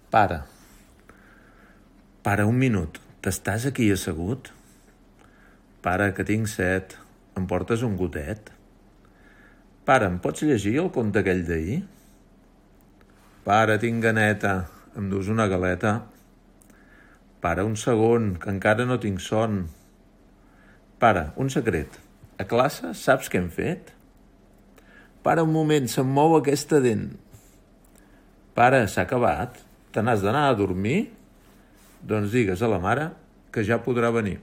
Para. Para un minut. T'estàs aquí assegut? Para, que tinc set. Em portes un gotet? Para, em pots llegir el conte aquell d'ahir? Para, tinc ganeta. Em dus una galeta? Para, un segon, que encara no tinc son. Para, un secret. A classe saps què hem fet? Para un moment, se'm mou aquesta dent. Para, s'ha acabat? Te n'has d'anar a dormir? Doncs digues a la mare que ja podrà venir.